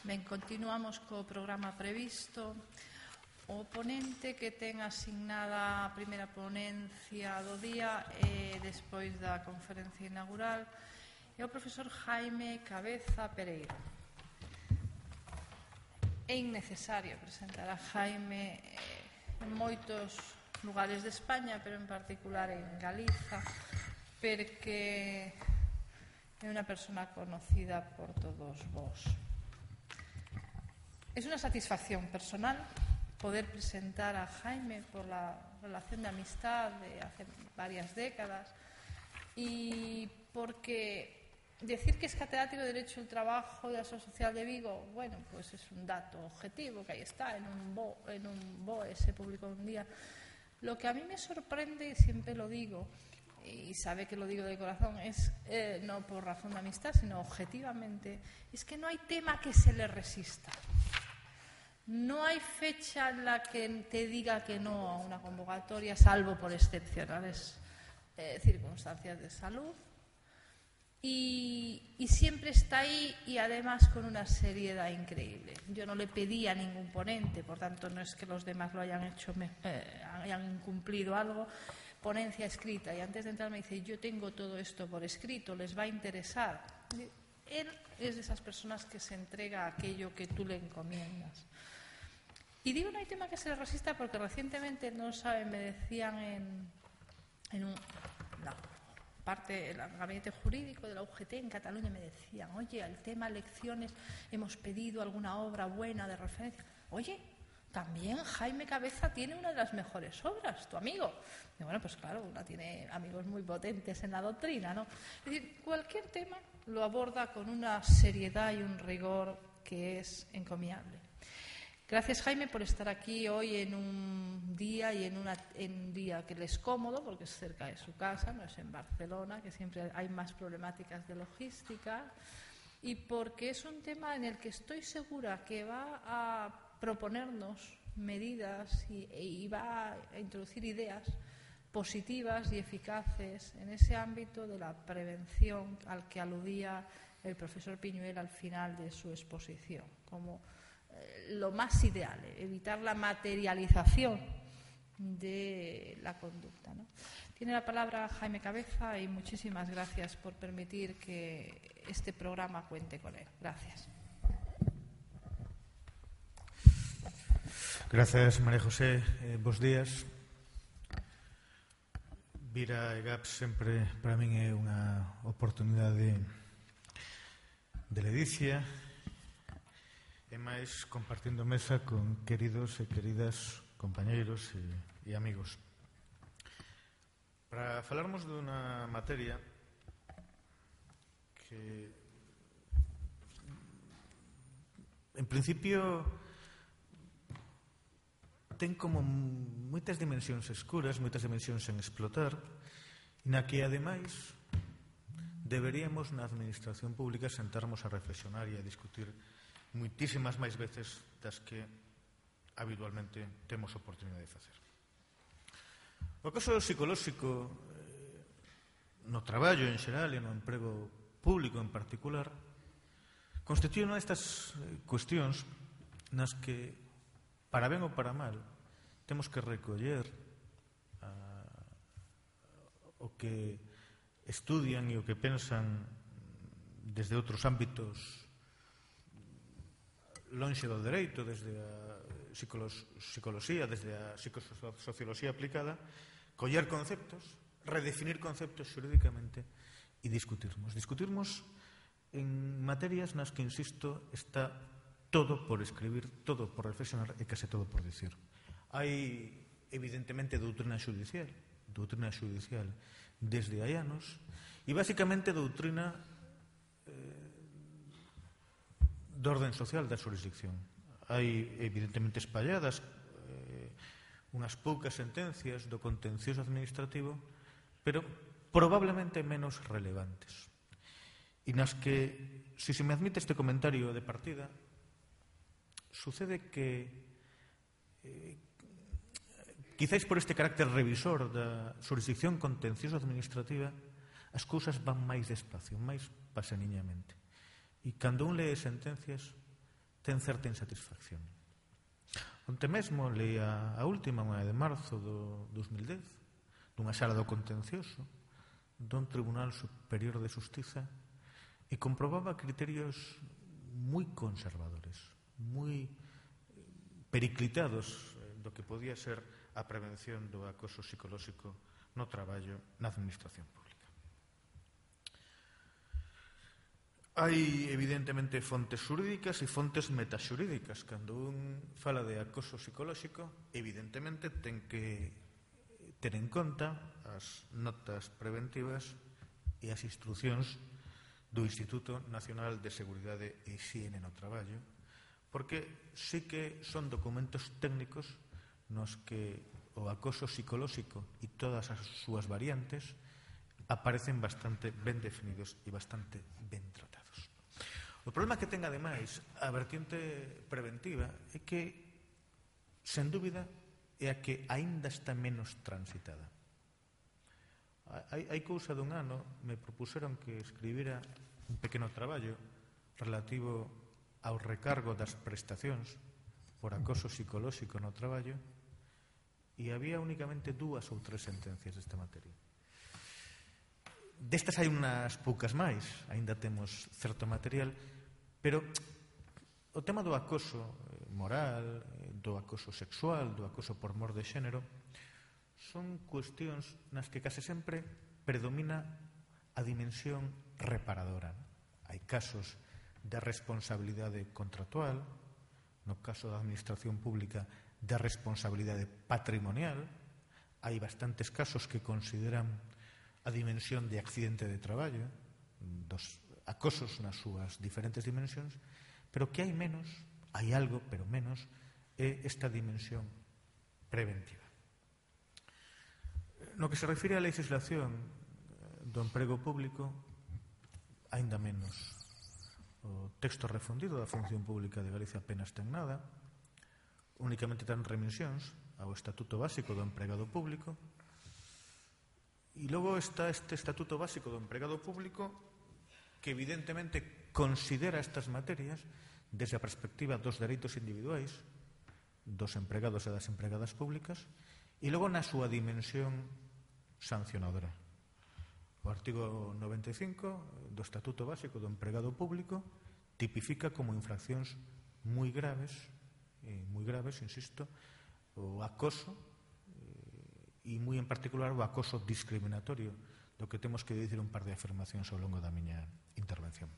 Ben, continuamos co programa previsto. O ponente que ten asignada a primeira ponencia do día e despois da conferencia inaugural é o profesor Jaime Cabeza Pereira. É innecesario presentar a Jaime en moitos lugares de España, pero en particular en Galiza, porque é unha persona conocida por todos vós. Es una satisfacción personal poder presentar a Jaime por la relación de amistad de hace varias décadas y porque decir que es catedrático de Derecho del Trabajo de la Seguridad Social de Vigo, bueno, pues es un dato objetivo que ahí está, en un BOE se publicó un día. Lo que a mí me sorprende, y siempre lo digo, y sabe que lo digo de corazón, es no por razón de amistad, sino objetivamente, es que no hay tema que se le resista. No hay fecha en la que te diga que no a una convocatoria, salvo por excepcionales circunstancias de salud. Y siempre está ahí y además con una seriedad increíble. Yo no le pedí a ningún ponente, por tanto no es que los demás lo hayan hecho, hayan incumplido algo. Ponencia escrita, y antes de entrar me dice: yo tengo todo esto por escrito, les va a interesar. Él es de esas personas que se entrega a aquello que tú le encomiendas. Y digo no hay tema que se le resista porque recientemente, no saben, me decían en el gabinete jurídico de la UGT en Cataluña, me decían: oye, el tema elecciones, hemos pedido alguna obra buena de referencia. Oye, también Jaime Cabeza tiene una de las mejores obras, tu amigo. Y bueno, pues claro, una tiene amigos muy potentes en la doctrina, ¿no? Es decir, cualquier tema lo aborda con una seriedad y un rigor que es encomiable. Gracias, Jaime, por estar aquí hoy en un día y en un día que le es cómodo, porque es cerca de su casa, no es en Barcelona, que siempre hay más problemáticas de logística, y porque es un tema en el que estoy segura que va a proponernos medidas y va a introducir ideas positivas y eficaces en ese ámbito de la prevención al que aludía el profesor Piñuel al final de su exposición, como lo más ideal, evitar la materialización de la conducta, ¿no? Tiene la palabra Jaime Cabeza y muchísimas gracias por permitir que este programa cuente con él. Gracias. Gracias, María José. Bos días. Vir a EGAP sempre para min é unha oportunidade de ledicia e máis compartindo mesa con queridos e queridas compañeiros e amigos. Para falarmos dunha materia que en principio ten como moitas dimensións escuras, moitas dimensións en explotar, e na que ademais deberíamos na administración pública sentarmos a reflexionar e a discutir moitísimas máis veces das que habitualmente temos oportunidade de facer. O caso psicolóxico no traballo en xeral e no emprego público en particular constitúe unha destas cuestións nas que, para ben ou para mal, temos que recoller o que estudian e o que pensan desde outros ámbitos lonxe do dereito, desde a psicoloxía, desde a psicosocioloxía aplicada, coller conceptos, redefinir conceptos xurídicamente e discutirmos. Discutirmos en materias nas que, insisto, está todo por escribir, todo por reflexionar e case todo por dicir. Hai, evidentemente, doutrina xudicial desde hai anos, e, basicamente, doutrina de orden social da xurisdicción. Hai, evidentemente, espalladas unhas poucas sentencias do contencioso administrativo, pero probablemente menos relevantes. E nas que, se me admite este comentario de partida, sucede que quizáis por este carácter revisor da xurisdicción contencioso administrativa as cousas van máis despacio, máis paseniñamente. E cando un lee sentencias ten certa insatisfacción. Onte mesmo leía a última, unha de marzo do 2010, dunha sala do contencioso dun Tribunal Superior de Xustiza, e comprobaba criterios moi conservadores, moi periclitados do que podía ser a prevención do acoso psicolóxico no traballo na administración pública. Hai, evidentemente, fontes xurídicas e fontes metaxurídicas. Cando un fala de acoso psicolóxico, evidentemente, ten que ter en conta as notas preventivas e as instruccións do Instituto Nacional de Seguridade e Hixiene no Traballo, porque sí que son documentos técnicos nos que o acoso psicolóxico e todas as súas variantes aparecen bastante ben definidos e bastante ben tratados. O problema que ten, ademais, a vertiente preventiva é que, sen dúbida, é a que aínda está menos transitada. Hai cousa dun ano me propuseron que escribira un pequeno traballo relativo ao recargo das prestacións por acoso psicolóxico no traballo, e había únicamente 2 ou 3 sentencias desta materia. Destas hai unhas poucas máis, aínda temos certo material, pero o tema do acoso moral, do acoso sexual, do acoso por mor de xénero, son cuestións nas que case sempre predomina a dimensión reparadora. Hai casos de responsabilidade contractual, no caso da administración pública de responsabilidade patrimonial, hai bastantes casos que consideran a dimensión de accidente de traballo, dos acosos nas súas diferentes dimensións, pero que hai menos, hai algo, pero menos, é esta dimensión preventiva. No que se refire á legislación do emprego público, aínda menos. O texto refundido da Función Pública de Galicia apenas ten nada, únicamente ten remisións ao Estatuto Básico do Empregado Público, e logo está este Estatuto Básico do Empregado Público que evidentemente considera estas materias desde a perspectiva dos dereitos individuais dos empregados e das empregadas públicas, e logo na súa dimensión sancionadora. O artigo 95 do Estatuto Básico do Empregado Público tipifica como infraccións moi graves, insisto, o acoso, e moi en particular o acoso discriminatorio, do que temos que dicir un par de afirmacións ao longo da miña intervención.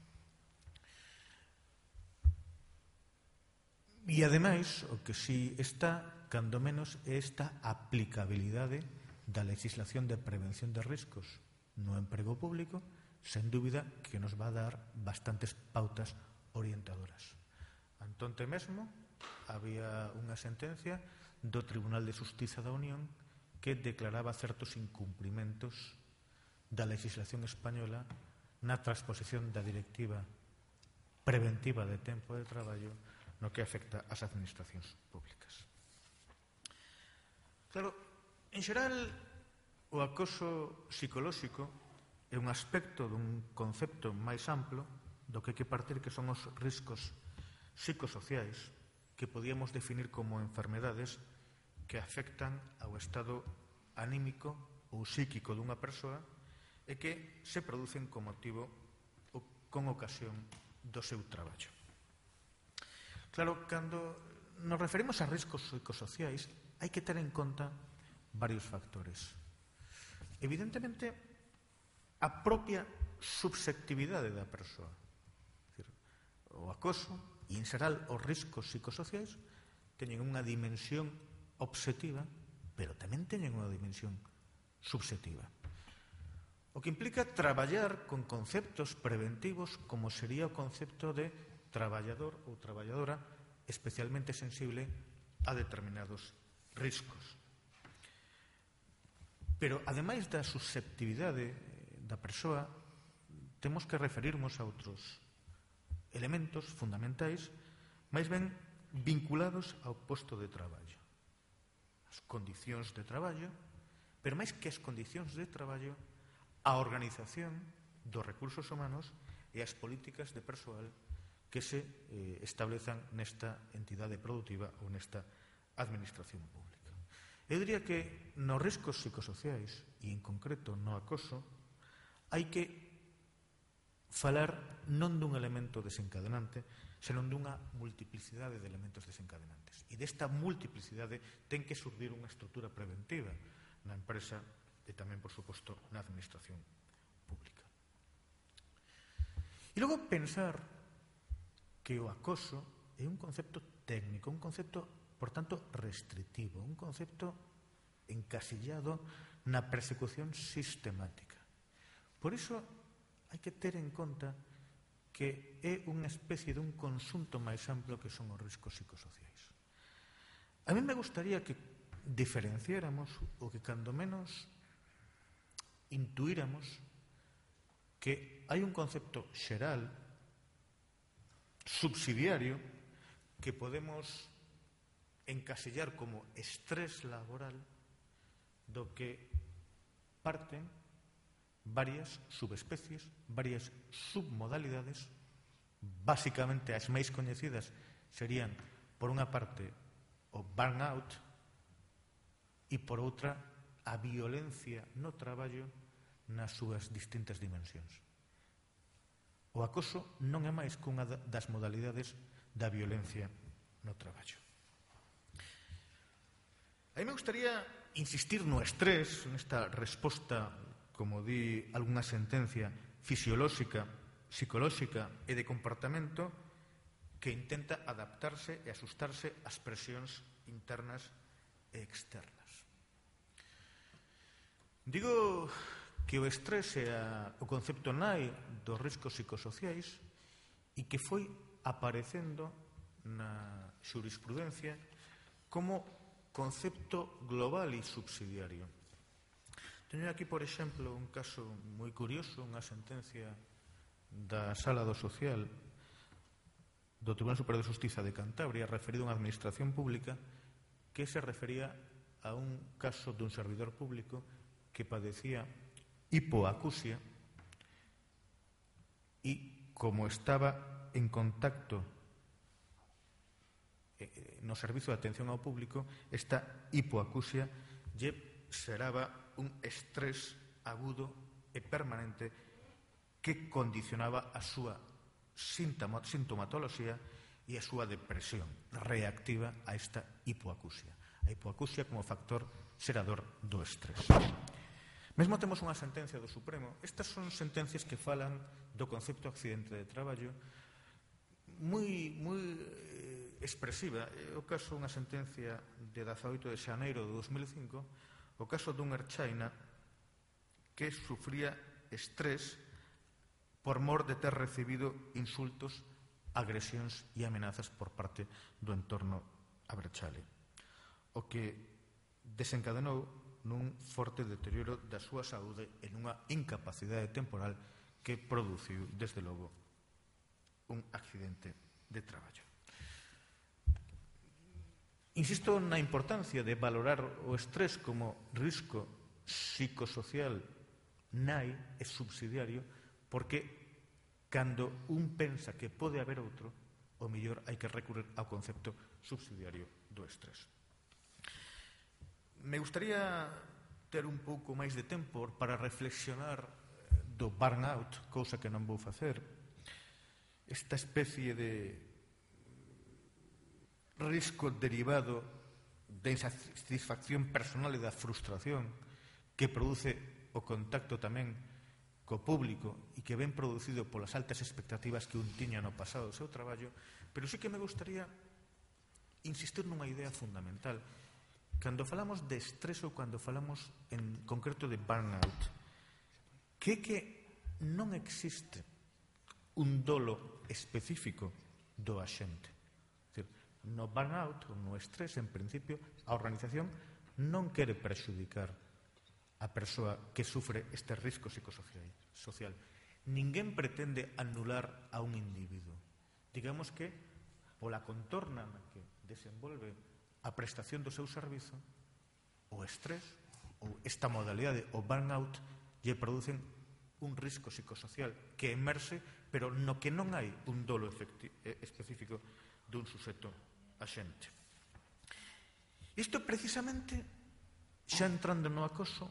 E, ademais, o que si está, cando menos, é esta aplicabilidade da legislación de prevención de riscos no emprego público, sen dúbida que nos va a dar bastantes pautas orientadoras. Antonte mesmo había unha sentencia do Tribunal de Xustiza da Unión que declaraba certos incumprimentos da legislación española na transposición da directiva preventiva de tempo de traballo no que afecta ás administracións públicas. Claro, en xeral, o acoso psicolóxico é un aspecto dun concepto máis amplo do que hai que partir, que son os riscos psicosociais que podíamos definir como enfermedades que afectan ao estado anímico ou psíquico dunha persoa e que se producen con motivo ou con ocasión do seu traballo. Claro, cando nos referimos a riscos psicosociais, hai que ter en conta varios factores. Evidentemente, a propia subxectividade da persoa. O acoso e, en xeral, os riscos psicosociais teñen unha dimensión obxectiva, pero tamén teñen unha dimensión subxectiva. O que implica traballar con conceptos preventivos como sería o concepto de traballador ou traballadora especialmente sensible a determinados riscos. Pero, ademais da susceptibilidade da persoa, temos que referirnos a outros elementos fundamentais, máis ben vinculados ao posto de traballo. As condicións de traballo, pero máis que as condicións de traballo, a organización dos recursos humanos e as políticas de persoal que se establezan nesta entidade produtiva ou nesta administración pública. Eu diría que nos riscos psicosociais, e en concreto no acoso, hai que falar non dun elemento desencadenante, senón dunha multiplicidade de elementos desencadenantes. E desta multiplicidade ten que surdir unha estrutura preventiva na empresa e tamén, por suposto, na administración pública. E logo pensar que o acoso é un concepto técnico, un concepto, por tanto, restritivo, un concepto encasillado na persecución sistemática. Por iso hai que ter en conta que é unha especie dun conxunto máis amplo que son os riscos psicosociais. A mí me gustaría que diferenciáramos ou que cando menos intuíramos que hai un concepto xeral, subsidiario, que podemos encasillar como estrés laboral, do que parten varias subespecies, varias submodalidades. Básicamente as máis coñecidas serían, por unha parte, o burnout e por outra, a violencia no traballo nas súas distintas dimensións. O acoso non é máis que unha das modalidades da violencia no traballo. A mí me gustaría insistir no estrés, nesta resposta, como di algunha sentencia, fisiolóxica, psicolóxica e de comportamento que intenta adaptarse e asustarse ás presións internas e externas. Digo que o estrés é o concepto nai dos riscos psicosociais e que foi aparecendo na xurisprudencia como concepto global e subsidiario. Teño aquí, por exemplo, un caso moi curioso, unha sentencia da Sala do Social do Tribunal Superior de Xustiza de Cantabria referido a unha administración pública que se refería a un caso dun servidor público que padecía hipoacusia e, como estaba en contacto no servizo de atención ao público, esta hipoacusia lle xeraba un estrés agudo e permanente que condicionaba a súa sintomatoloxía e a súa depresión reactiva a esta hipoacusia. A hipoacusia como factor xerador do estrés. Mesmo temos unha sentencia do Supremo. Estas son sentencias que falan do concepto accidente de traballo moi expresiva. É o caso unha sentencia de 18 de xaneiro de 2005, o caso dun erchaina que sufría estrés por mor de ter recibido insultos, agresións e amenazas por parte do entorno aberchale, o que desencadenou nun forte deterioro da súa saúde e nunha incapacidade temporal que produciu, desde logo, un accidente de traballo. Insisto na importancia de valorar o estrés como risco psicosocial nai e subsidiario, porque cando un pensa que pode haber outro, o mellor hai que recurrir ao concepto subsidiario do estrés. Me gustaría ter un pouco máis de tempo para reflexionar do burnout, cousa que non vou facer. Esta especie de risco derivado da insatisfacción personal e da frustración que produce o contacto tamén co público e que ven producido polas altas expectativas que un tiña no pasado do seu traballo, pero sí que me gustaría insistir nunha idea fundamental. Cando falamos de estrés ou cando falamos en concreto de burnout, que non existe un dolo específico do axente. No burnout, ou no estrés, en principio, a organización non quere prexudicar a persoa que sufre este risco psicosocial. Ninguén pretende anular a un individuo. Digamos que, pola contorna na que desenvolve a prestación do seu servizo, o estrés ou esta modalidade, o burnout, lle producen un risco psicosocial que emerxe, pero no que non hai un dolo específico dun suxeto axente. Isto precisamente, xa entrando no acoso,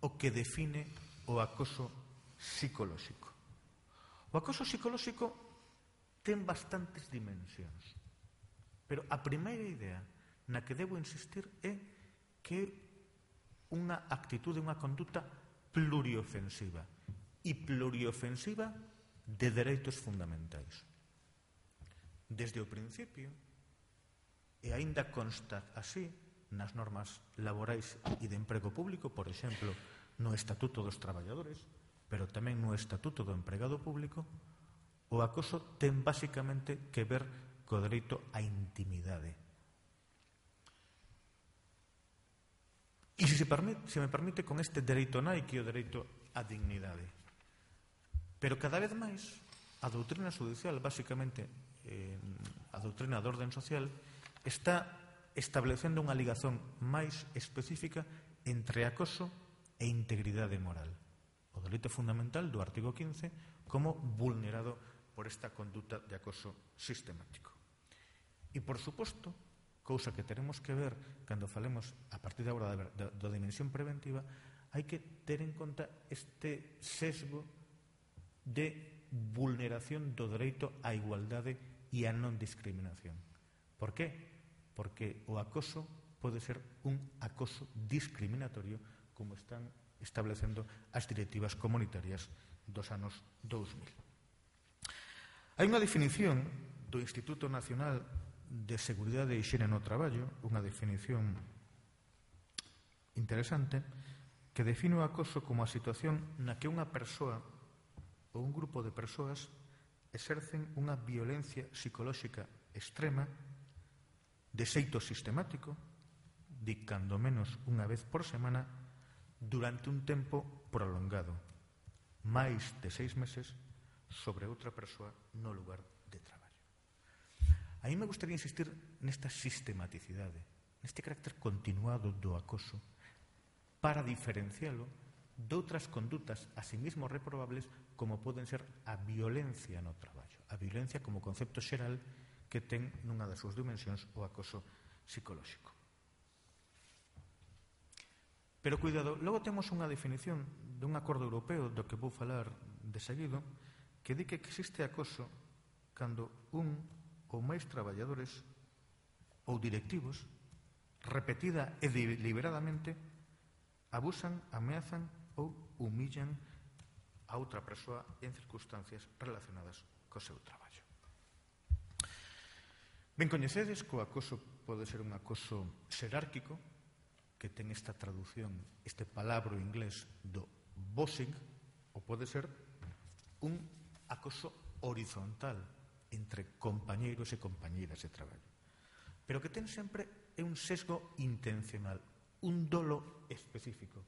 o que define o acoso psicolóxico. O acoso psicolóxico ten bastantes dimensións, pero a primeira idea na que debo insistir é que é unha actitude, unha conduta pluriofensiva e pluriofensiva de dereitos fundamentais. Desde o principio, e aínda consta así nas normas laborais e de emprego público, por exemplo, no Estatuto dos Traballadores, pero tamén no Estatuto do Empregado Público, o acoso ten basicamente que ver co dereito á intimidade. E se me permite, con este dereito nai, que é o dereito á dignidade. Pero cada vez máis, a doutrina judicial, basicamente a doutrina de orden social, está establecendo unha ligazón máis específica entre acoso e integridade moral. O delito fundamental do artigo 15 como vulnerado por esta conduta de acoso sistemático. E, por suposto, cousa que teremos que ver cando falemos a partir de agora da dimensión preventiva, hai que ter en conta este sesgo de vulneración do dereito á igualdade e á non discriminación. Por que? Porque o acoso pode ser un acoso discriminatorio, como están establecendo as directivas comunitarias dos anos 2000. Hai unha definición do Instituto Nacional de Seguridade e Hixiene no Traballo, unha definición interesante, que define o acoso como a situación na que unha persoa ou un grupo de persoas exercen unha violencia psicolóxica extrema de xeito sistemático, de cando menos unha vez por semana, durante un tempo prolongado, máis de 6 meses, sobre outra persoa no lugar de traballo. A mí me gustaría insistir nesta sistematicidade, neste carácter continuado do acoso, para diferencialo de outras condutas a sí mismo reprobables, como poden ser a violencia no traballo, a violencia como concepto xeral que ten nunha das súas dimensións o acoso psicolóxico. Pero cuidado, logo temos unha definición dun acordo europeo do que vou falar de seguido, que di que existe acoso cando un ou máis traballadores ou directivos, repetida e deliberadamente, abusan, ameazan ou humillan a outra persoa en circunstancias relacionadas co seu traballo. Ben coñecedes que o acoso pode ser un acoso xerárquico, que ten esta traducción, este palabro inglés do bossing, ou pode ser un acoso horizontal entre compañeiros e compañeiras de traballo, pero que ten sempre un sesgo intencional, un dolo específico,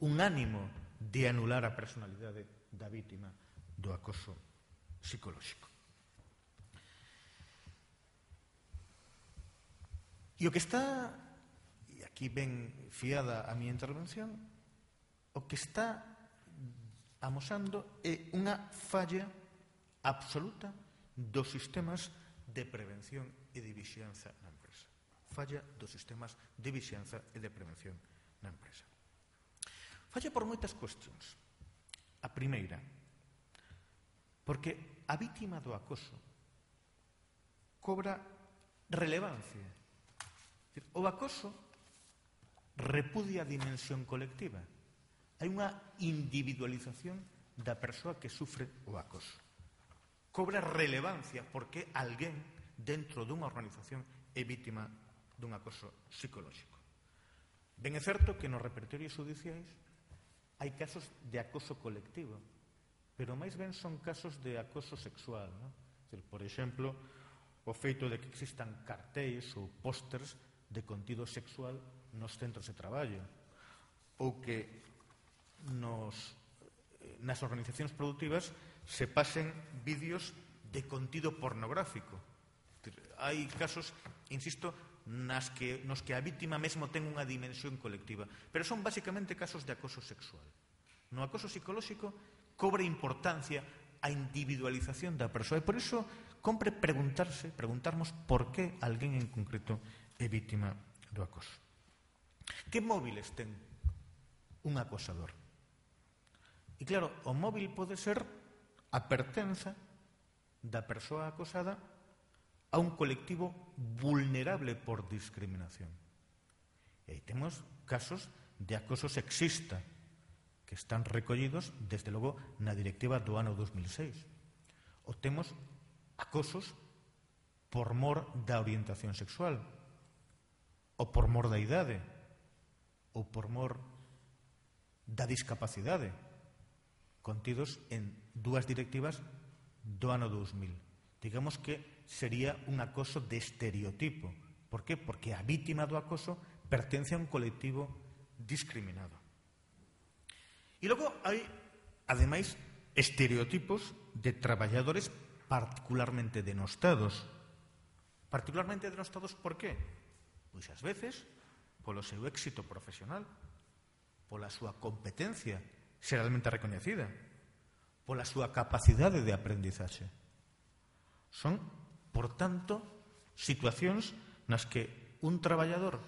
un ánimo de anular a personalidade da vítima do acoso psicolóxico. E o que está, e aquí ben fiada a miña intervención, o que está amosando é unha falla absoluta dos sistemas de prevención e de vixianza na empresa. Falla dos sistemas de vixianza e de prevención na empresa. Falla por moitas cuestións. A primeira, porque a vítima do acoso cobra relevancia. O acoso repudia a dimensión colectiva. Hai unha individualización da persoa que sufre o acoso. Cobra relevancia porque alguén dentro dunha organización é vítima dun acoso psicolóxico. Ben é certo que nos repertorios judiciais hai casos de acoso colectivo, pero máis ben son casos de acoso sexual, non? Por exemplo, o feito de que existan cartéis ou pósters de contido sexual nos centros de traballo, ou que nas organizacións productivas se pasen vídeos de contido pornográfico. Hai casos, insisto, nos que a vítima mesmo ten unha dimensión colectiva, pero son basicamente casos de acoso sexual. No acoso psicolóxico cobra importancia a individualización da persoa. E por iso compre preguntarnos por que alguén en concreto é vítima do acoso. Que móviles ten un acosador? E claro, o móvil pode ser a pertenza da persoa acosada a un colectivo vulnerable por discriminación. E aí temos casos de acoso sexista que están recollidos, desde logo, na directiva do ano 2006. Ou temos acosos por mor da orientación sexual, ou por mor da idade, ou por mor da discapacidade, contidos en dúas directivas do ano 2000. Digamos que sería un acoso de estereotipo. Por que? Porque a vítima do acoso pertence a un colectivo discriminado. E logo hai, ademais, estereotipos de traballadores particularmente denostados. Particularmente denostados por qué? Pois ás veces polo seu éxito profesional, pola súa competencia xeralmente recoñecida, pola súa capacidade de aprendizaxe. Son, por tanto, situacións nas que un traballador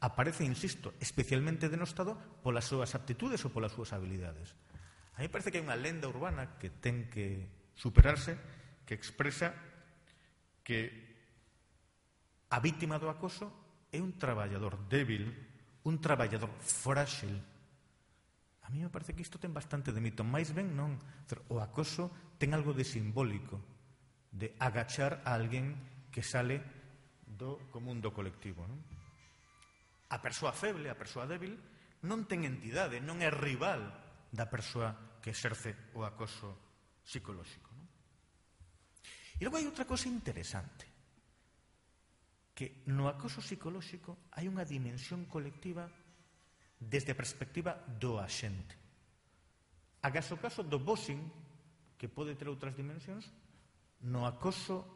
aparece, insisto, especialmente denostado polas súas aptitudes ou polas súas habilidades. A mí parece que hai unha lenda urbana que ten que superarse, que expresa que a vítima do acoso é un traballador débil, un traballador frágil. A mí me parece que isto ten bastante de mito. Mais ben non. O acoso ten algo de simbólico, de agachar a alguén que sale do común do colectivo, non? A persoa feble, a persoa débil, non ten entidade, non é rival da persoa que exerce o acoso psicolóxico. Non? E logo hai outra cosa interesante, que no acoso psicolóxico hai unha dimensión colectiva desde a perspectiva do axente. Agás o caso do boxing, que pode ter outras dimensións, no acoso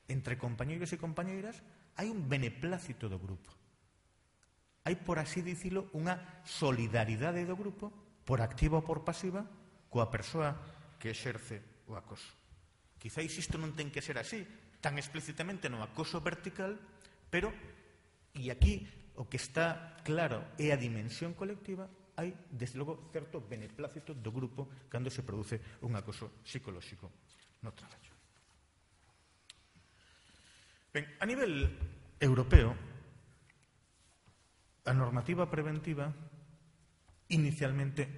entre compañeiros e compañeiras hai un beneplácito do grupo. Hai, por así dicilo, unha solidaridade do grupo, por activa ou por pasiva, coa persoa que exerce o acoso. Quizáis isto non ten que ser así, tan explícitamente no acoso vertical, pero, e aquí o que está claro é a dimensión colectiva, hai, desde logo, certo beneplácito do grupo cando se produce un acoso psicolóxico no traballo. Ben, a nivel europeo, a normativa preventiva inicialmente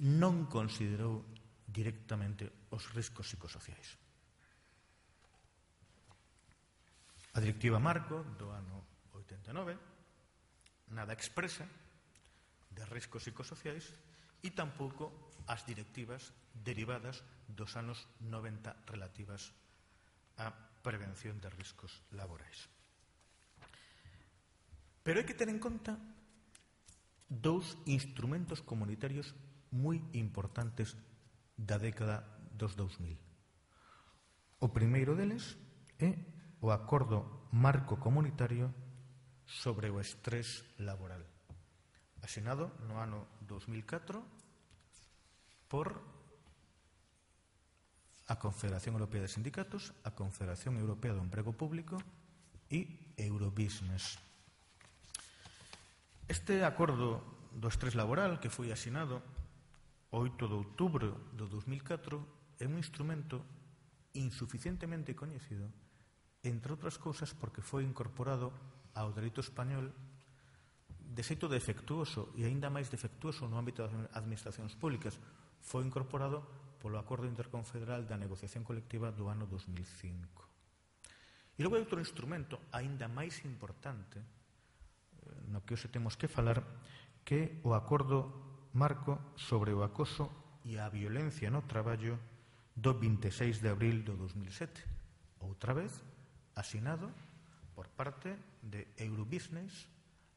non considerou directamente os riscos psicosociais. A directiva marco do ano 89 nada expresa de riscos psicosociais e tampouco as directivas derivadas dos anos 90 relativas á prevención de riscos laborais. Pero hai que ter en conta dous instrumentos comunitarios moi importantes da década dos 2000. O primeiro deles é o Acordo Marco Comunitario sobre o Estrés Laboral, asinado no ano 2004 por a Confederación Europea de Sindicatos, a Confederación Europea do Emprego Público e Eurobusiness. Este acordo do estrés laboral que foi asinado o 8 de outubro do 2004 é un instrumento insuficientemente coñecido, entre outras cousas porque foi incorporado ao dereito español de xeito defectuoso e aínda máis defectuoso no ámbito das administracións públicas. Foi incorporado polo Acordo Interconfederal da Negociación Colectiva do ano 2005. E logo hai outro instrumento aínda máis importante no que hoxe temos que falar, que o Acordo Marco sobre o acoso e a violencia no traballo do 26 de abril do 2007. Outra vez, asinado por parte de Eurobusiness,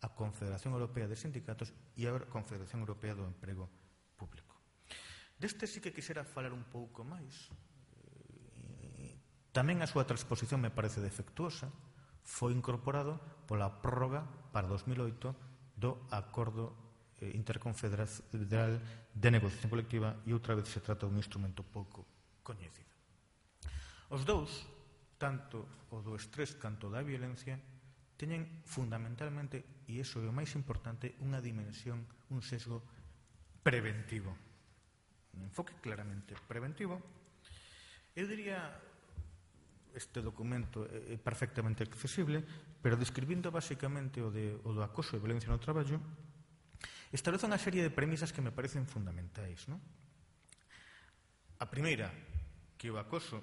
a Confederación Europea de Sindicatos e a Confederación Europea do Emprego Público. Deste sí que quixera falar un pouco máis. Tamén a súa transposición me parece defectuosa. Foi incorporado pola prórroga para 2008 do Acordo Interconfederal de Negociación Colectiva e outra vez se trata dun instrumento pouco coñecido. Os dous, tanto o do estrés canto da violencia, teñen fundamentalmente, e iso é o máis importante, unha dimensión, un sesgo preventivo. Un enfoque claramente preventivo. Eu diría, este documento é perfectamente accesible, pero describindo basicamente o do acoso e violencia no traballo, establece unha serie de premisas que me parecen fundamentais. A primeira, que o acoso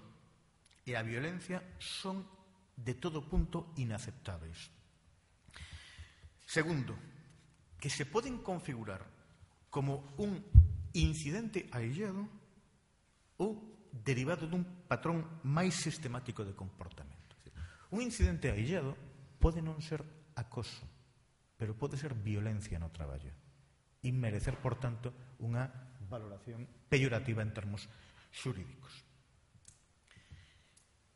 e a violencia son de todo punto inaceptáveis. Segundo, que se poden configurar como un incidente aillado ou derivado dun patrón máis sistemático de comportamento. Un incidente aillado pode non ser acoso, pero pode ser violencia no traballo e merecer, por tanto, unha valoración peyorativa en termos xurídicos.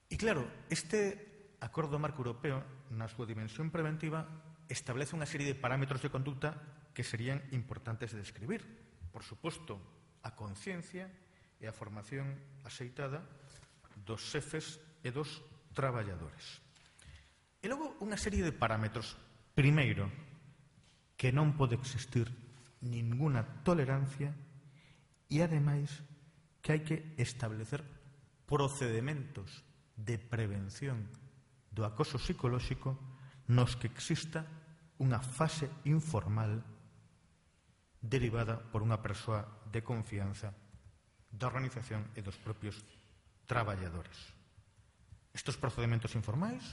E claro, este Acordo Marco Europeo, na súa dimensión preventiva, establece unha serie de parámetros de conducta que serían importantes de describir. Por suposto, a conciencia e a formación axeitada dos xefes e dos traballadores. E logo unha serie de parámetros. Primeiro, que non pode existir ninguna tolerancia e, ademais, que hai que establecer procedementos de prevención do acoso psicolóxico nos que exista unha fase informal derivada por unha persoa de confianza da organización e dos propios traballadores. Estes procedementos informais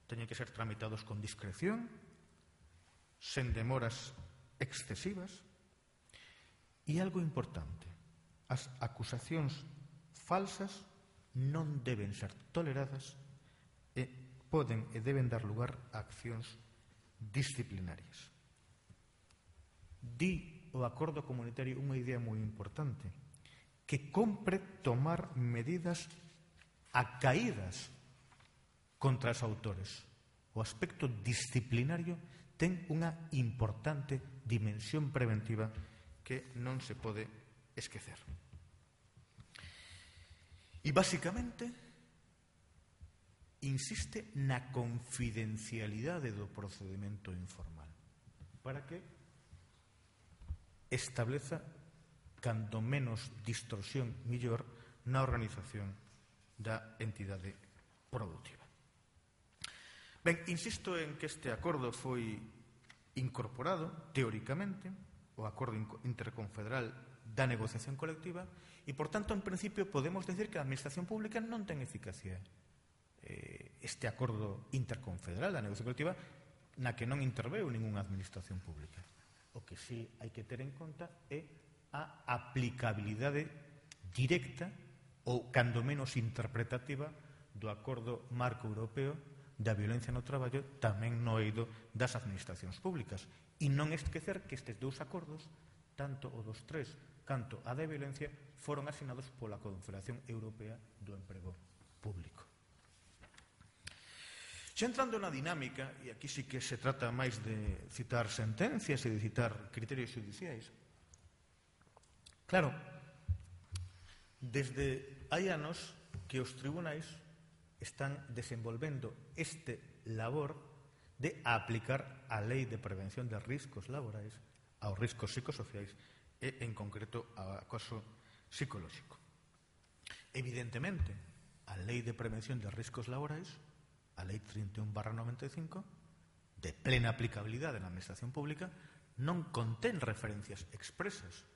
teñen que ser tramitados con discreción, sen demoras excesivas, e algo importante, as acusacións falsas non deben ser toleradas e poden e deben dar lugar a accións disciplinarias. Di o acordo comunitario unha idea moi importante, que compre tomar medidas acaídas contra os autores. O aspecto disciplinario ten unha importante dimensión preventiva que non se pode esquecer. E, basicamente, insiste na confidencialidade do procedimento informal para que estableza cando menos distorsión mellor na organización da entidade produtiva. Ben, insisto en que este acordo foi incorporado, teóricamente, o Acordo Interconfederal da Negociación Colectiva e, por tanto, en principio, podemos decir que a Administración Pública non ten eficacia este Acordo Interconfederal da Negociación Colectiva na que non interveu ningunha Administración Pública. O que sí hai que ter en conta é a aplicabilidade directa ou, cando menos, interpretativa do Acordo Marco Europeo da violencia no traballo tamén no eido das administracións públicas. E non esquecer que estes dous acordos, tanto o dos tres canto a da violencia, foron asinados pola Confederación Europea do Emprego Público. Xa entrando na dinámica, e aquí sí que se trata máis de citar sentencias e de citar criterios xudiciais, claro, desde hai anos que os tribunais están desenvolvendo este labor de aplicar a Lei de Prevención de Riscos Laborais aos riscos psicosociais e, en concreto, ao acoso psicolóxico. Evidentemente, a Lei de Prevención de Riscos Laborais, a Lei 31/95, de plena aplicabilidade na Administración Pública, non contén referencias expresas,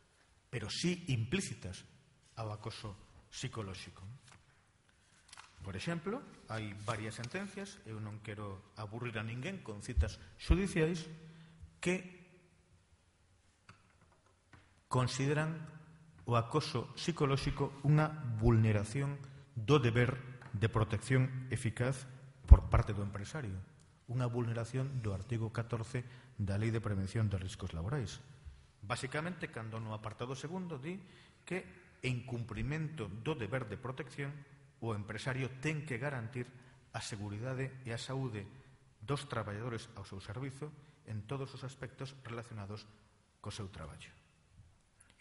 pero sí implícitas ao acoso psicolóxico. Por exemplo, hai varias sentencias, eu non quero aburrir a ninguén con citas xudiciais, que consideran o acoso psicolóxico unha vulneración do deber de protección eficaz por parte do empresario, unha vulneración do artigo 14 da Lei de Prevención de Riscos Laborais. Basicamente, cando no apartado segundo di que en cumprimento do deber de protección o empresario ten que garantir a seguridade e a saúde dos traballadores ao seu servizo en todos os aspectos relacionados co seu traballo.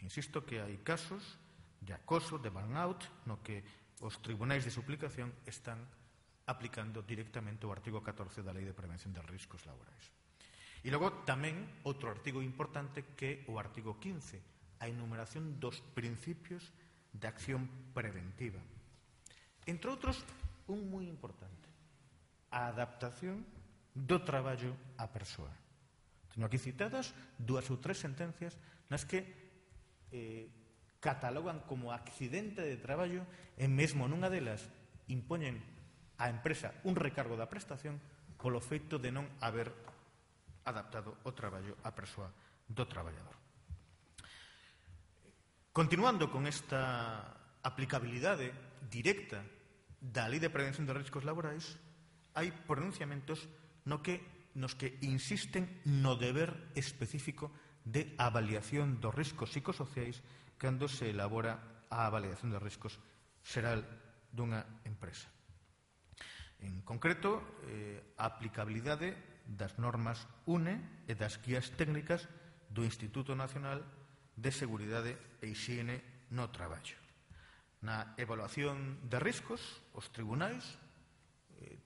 Insisto que hai casos de acoso, de burnout, no que os tribunais de suplicación están aplicando directamente o artigo 14 da Lei de Prevención de Riscos Laborais. E logo tamén outro artigo importante que é o artigo 15, a enumeración dos principios de acción preventiva. Entre outros, un moi importante, a adaptación do traballo á persoa. Teño aquí citadas 2 ou 3 sentencias nas que catalogan como accidente de traballo e mesmo nunha delas impoñen á empresa un recargo da prestación polo feito de non haber adaptado o traballo á persoa do traballador. Continuando con esta aplicabilidade directa da Lei de Prevención de Riscos Laborais, hai pronunciamentos nos que insisten no deber específico de avaliación dos riscos psicosociais cando se elabora a avaliación de riscos xeral dunha empresa. En concreto, a aplicabilidade das normas UNE e das guías técnicas do Instituto Nacional de Seguridade e Hixiene no Traballo. Na evaluación de riscos, os tribunais,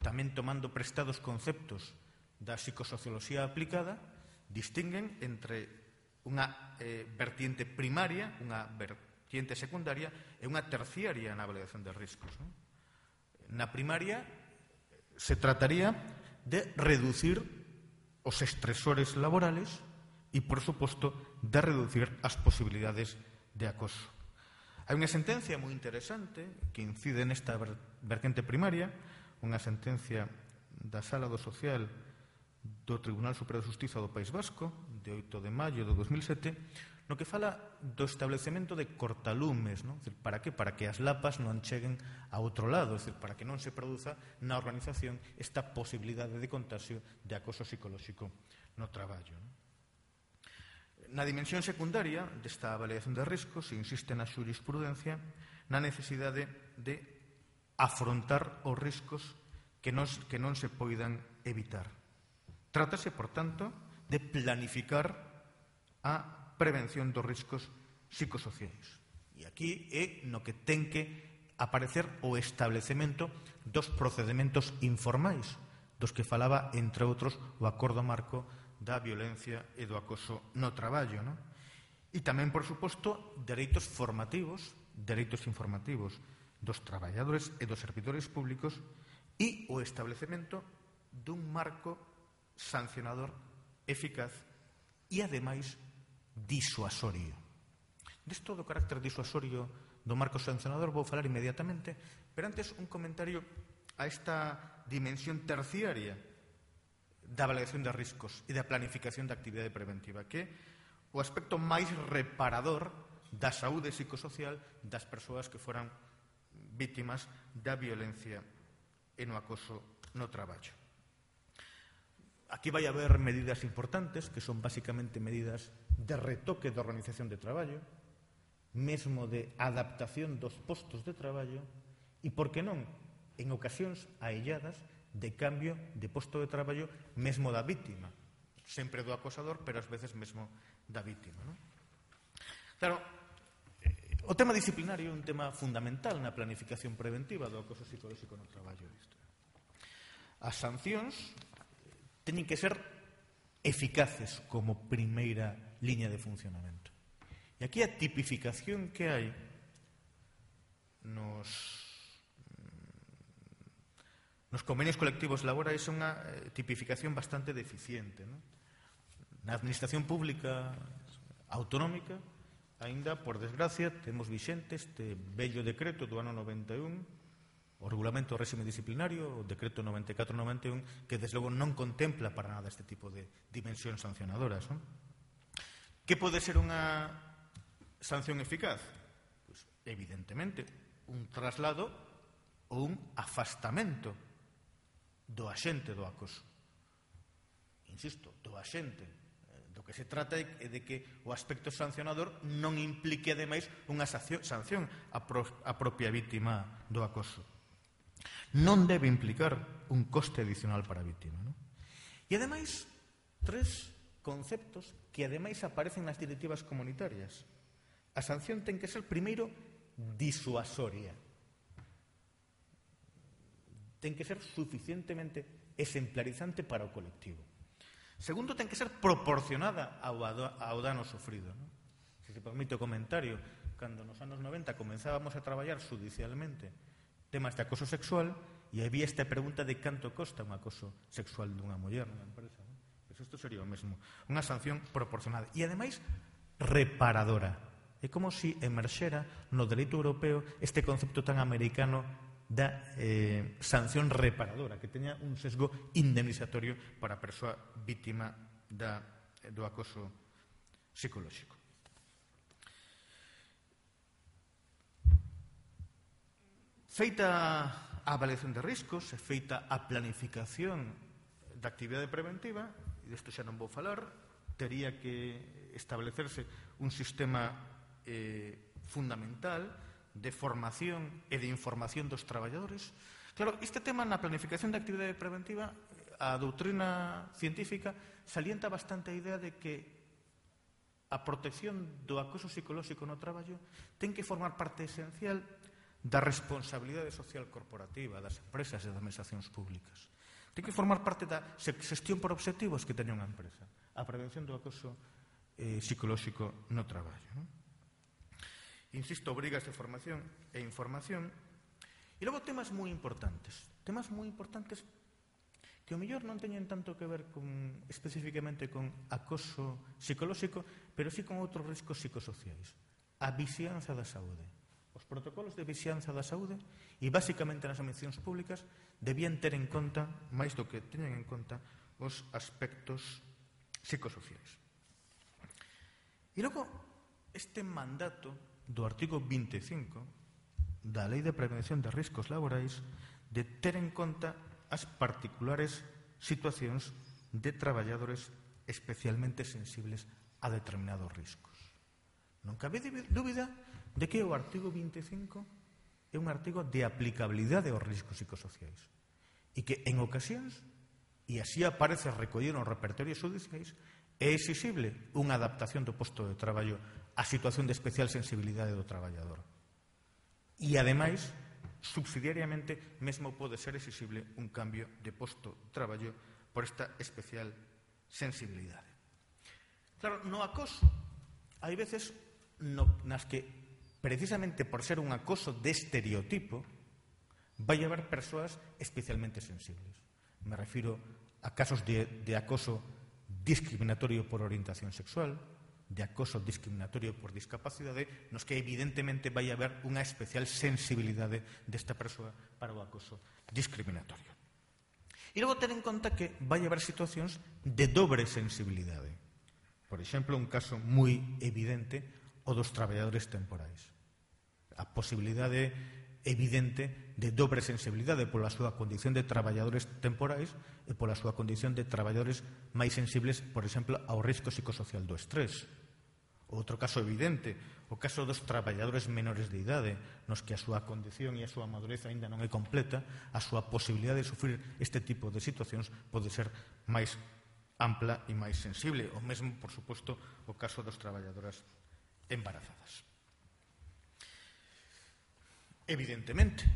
tamén tomando prestados conceptos da psicosocioloxía aplicada, distinguen entre unha vertiente primaria, unha vertiente secundaria e unha terciaria na avaliación de riscos. Na primaria se trataría de reducir os estresores laborales e, por suposto, de reducir as posibilidades de acoso. Hai unha sentencia moi interesante que incide nesta vertente primaria, unha sentencia da Sala do Social do Tribunal Superior de Xustiza do País Vasco, de 8 de maio de 2007, no que fala do establecemento de cortalumes, non? Para que? Para que as lapas non cheguen a outro lado, para que non se produza na organización esta posibilidade de contagio de acoso psicolóxico no traballo. Na dimensión secundaria desta avaliación de riscos se insiste na xurisprudencia na necesidade de afrontar os riscos que non se poidan evitar. Trátase, por tanto, de planificar a prevención dos riscos psicosociais. E aquí é no que ten que aparecer o establecemento dos procedementos informais, dos que falaba, entre outros, o Acordo Marco da Violencia e do Acoso no Traballo. E tamén, por suposto, dereitos informativos dos traballadores e dos servidores públicos e o establecemento dun marco sancionador eficaz e, ademais, disuasorio. Desto do carácter disuasorio do marco sancionador vou falar inmediatamente, pero antes un comentario a esta dimensión terciaria da avaliación de riscos e da planificación da actividade preventiva, que é o aspecto máis reparador da saúde psicosocial das persoas que foran vítimas da violencia e no acoso no traballo. Aquí vai haber medidas importantes, que son basicamente medidas de retoque da organización de traballo, mesmo de adaptación dos postos de traballo e, por que non, en ocasións ailladas, de cambio de posto de traballo mesmo da vítima, sempre do acosador, pero ás veces mesmo da vítima. Claro, o tema disciplinario é un tema fundamental na planificación preventiva do acoso psicolóxico no traballo. As sancións teñen que ser eficaces como primeira liña de funcionamento. E aquí a tipificación que hai nos convenios colectivos laborais é unha tipificación bastante deficiente. Na administración pública autonómica, aínda, por desgracia, temos vixente este vello decreto do ano 91, o Regulamento do Réxime Disciplinario, o Decreto 94-91, que, desde logo, non contempla para nada este tipo de dimensións sancionadoras. Que pode ser unha sanción eficaz? Pois, evidentemente, un traslado ou un afastamento do axente do acoso. Insisto, do axente. Do que se trata é de que o aspecto sancionador non implique, ademais, unha sanción á propia vítima do acoso. Non debe implicar un coste adicional para a vítima. E, ademais, 3 conceptos que ademais aparecen nas directivas comunitarias. A sanción ten que ser, primeiro, disuasoria. Ten que ser suficientemente exemplarizante para o colectivo. Segundo, ten que ser proporcionada ao dano sofrido. Se se permite o comentario, cando nos anos 90 comenzábamos a traballar judicialmente temas de acoso sexual, e había esta pregunta de canto costa un acoso sexual dunha muller nunha empresa. Pois isto sería o mesmo, unha sanción proporcionada e, ademais, reparadora. É como se emerxera no dereito europeo este concepto tan americano da sanción reparadora, que teña un sesgo indemnizatorio para a persoa vítima do acoso psicolóxico. Feita a avaliación de riscos, feita a planificación da actividade preventiva, e disto xa non vou falar, tería que establecerse un sistema fundamental de formación e de información dos traballadores. Claro, este tema na planificación da actividade preventiva, a doutrina científica salienta bastante a idea de que a protección do acoso psicolóxico no traballo ten que formar parte esencial da responsabilidade social corporativa das empresas e das administracións públicas. Ten que formar parte da xestión por obxectivos que teña unha empresa, a prevención do acoso psicolóxico no traballo. Insisto, obrigas de formación e información. E logo temas moi importantes que o mellor non teñen tanto que ver especificamente con acoso psicolóxico, pero sí con outros riscos psicosociais. A vixianza da saúde. Os protocolos de vixianza da saúde e, basicamente, nas administracións públicas debían ter en conta, máis do que teñen en conta, os aspectos psicosociais. E logo, este mandato do artigo 25 da Lei de Prevención de Riscos Laborais de ter en conta as particulares situacións de traballadores especialmente sensibles a determinados riscos. Non cabe dúbida de que o artigo 25 é un artigo de aplicabilidade aos riscos psicosociais e que en ocasións, e así aparece recollido nos repertorios judiciais, é exixible unha adaptación do posto de traballo á situación de especial sensibilidade do traballador. E, ademais, subsidiariamente, mesmo pode ser exixible un cambio de posto de traballo por esta especial sensibilidade. Claro, no acoso, hai veces nas que, precisamente por ser un acoso de estereotipo, vai haber persoas especialmente sensibles. Me refiro a casos de acoso discriminatorio por orientación sexual, de acoso discriminatorio por discapacidade, nos que evidentemente vai haber unha especial sensibilidade desta persoa para o acoso discriminatorio. E logo ter en conta que vai haber situacións de dobre sensibilidade. Por exemplo, un caso moi evidente, o dos traballadores temporais. A posibilidade evidente de dobre sensibilidade pola súa condición de traballadores temporais e pola súa condición de traballadores máis sensibles, por exemplo, ao risco psicosocial do estrés. Outro caso evidente, o caso dos traballadores menores de idade, nos que a súa condición e a súa madurez aínda non é completa, a súa posibilidade de sufrir este tipo de situacións pode ser máis ampla e máis sensible. O mesmo, por suposto, o caso das traballadoras embarazadas. Evidentemente,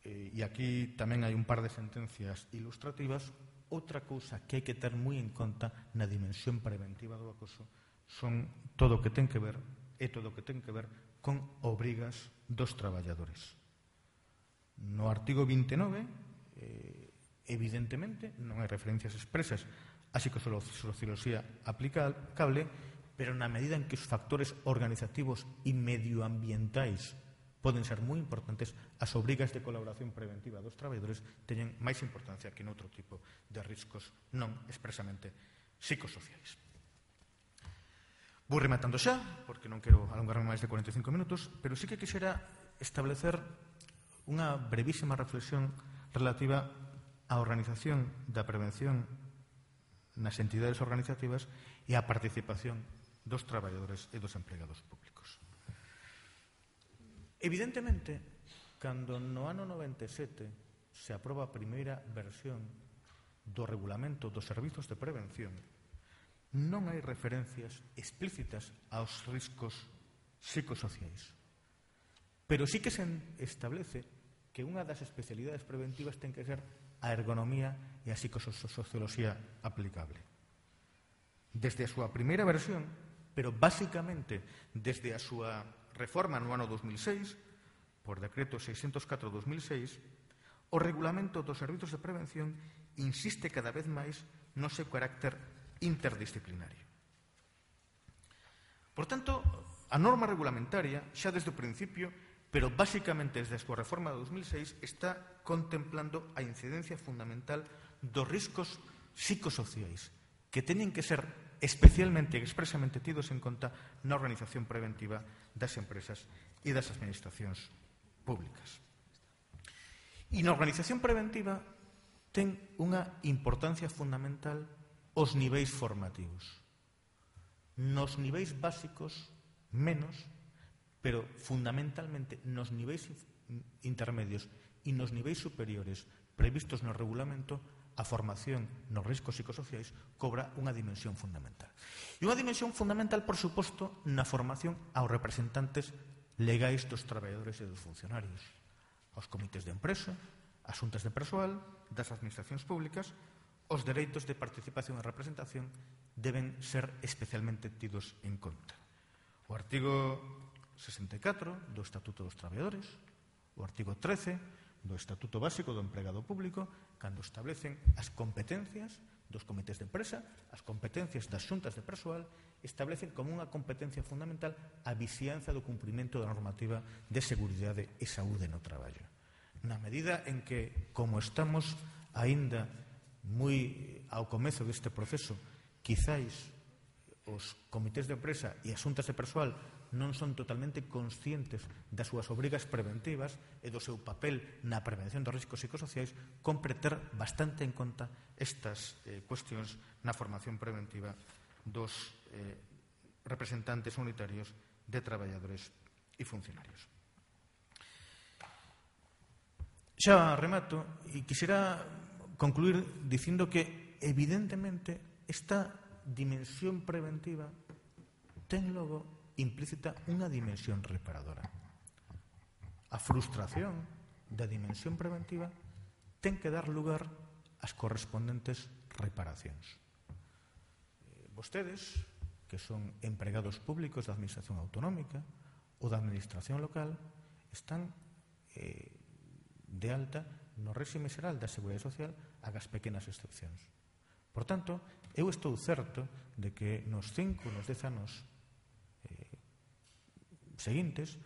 e aquí tamén hai un par de sentencias ilustrativas, outra cousa que hai que ter moi en conta na dimensión preventiva do acoso son todo o que ten que ver con obrigas dos traballadores. No artigo 29, evidentemente, non hai referencias expresas a psicosocioloxía aplicable, pero na medida en que os factores organizativos e medioambientais poden ser moi importantes, as obrigas de colaboración preventiva dos traballadores teñen máis importancia que noutro tipo de riscos non expresamente psicosociais. Vou rematando xa, porque non quero alongarme máis de 45 minutos, pero sí que quixera establecer unha brevísima reflexión relativa á organización da prevención nas entidades organizativas e á participación dos traballadores e dos empregados públicos. Evidentemente, cando no ano 97 se aproba a primeira versión do regulamento dos servizos de prevención, non hai referencias explícitas aos riscos psicosociais. Pero sí que se establece que unha das especialidades preventivas ten que ser a ergonomía e a psicosocioloxía aplicable. Desde a súa primeira versión, pero basicamente desde a súa reforma no ano 2006, por decreto 604/2006, o Regulamento dos Servizos de Prevención insiste cada vez máis no seu carácter interdisciplinario. Por tanto, a norma regulamentaria, xa desde o principio, pero basicamente desde a súa reforma de 2006, está contemplando a incidencia fundamental dos riscos psicosociais, que teñen que ser especialmente e expresamente tidos en conta na organización preventiva das empresas e das administracións públicas. E na organización preventiva ten unha importancia fundamental os niveis formativos. Nos niveis básicos, menos, pero fundamentalmente nos niveis intermedios e nos niveis superiores previstos no regulamento, a formación nos riscos psicosociais cobra unha dimensión fundamental. E unha dimensión fundamental, por suposto, na formación aos representantes legais dos traballadores e dos funcionarios, aos comités de empresa, ás xuntas de persoal, das administracións públicas. Os dereitos de participación e representación deben ser especialmente tidos en conta. O artigo 64 do Estatuto dos Traballadores, o artigo 13 do Estatuto Básico do Empregado Público, cando establecen as competencias dos comités de empresa, as competencias das xuntas de persoal, establecen como unha competencia fundamental a vixianza do cumprimento da normativa de seguridade e saúde no traballo. Na medida en que, como estamos aínda moi ao comezo deste proceso, quizáis os comités de empresa e as xuntas de persoal non son totalmente conscientes das súas obrigas preventivas e do seu papel na prevención dos riscos psicosociais, compre ter bastante en conta estas cuestións na formación preventiva dos representantes unitarios de traballadores e funcionarios. Xa remato e quixera concluir dicindo que, evidentemente, esta dimensión preventiva ten logo implícita unha dimensión reparadora. A frustración da dimensión preventiva ten que dar lugar ás correspondentes reparacións. Vostedes, que son empregados públicos da administración autonómica ou da administración local, están de alta no réxime xeral da Seguridade Social agas pequenas excepcións. Por tanto, eu estou certo de que nos 5, nos 10 anos seguintes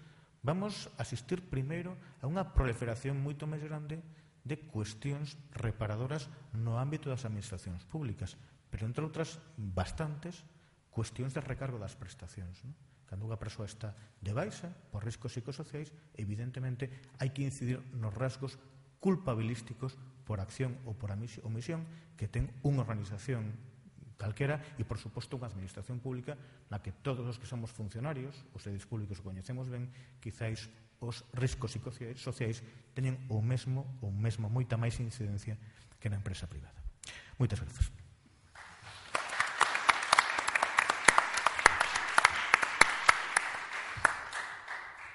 vamos asistir primeiro a unha proliferación moito máis grande de cuestións reparadoras no ámbito das administracións públicas, pero entre outras bastantes cuestións de recargo das prestacións. Cando unha persoa está de baixa por riscos psicosociais, evidentemente hai que incidir nos rasgos culpabilísticos por acción ou por omisión que ten unha organización calquera e, por suposto, unha administración pública na que todos os que somos funcionarios, os servizos públicos que coñecemos ben, quizáis os riscos psicosociais teñen o mesmo moita máis incidencia que na empresa privada. Moitas grazas.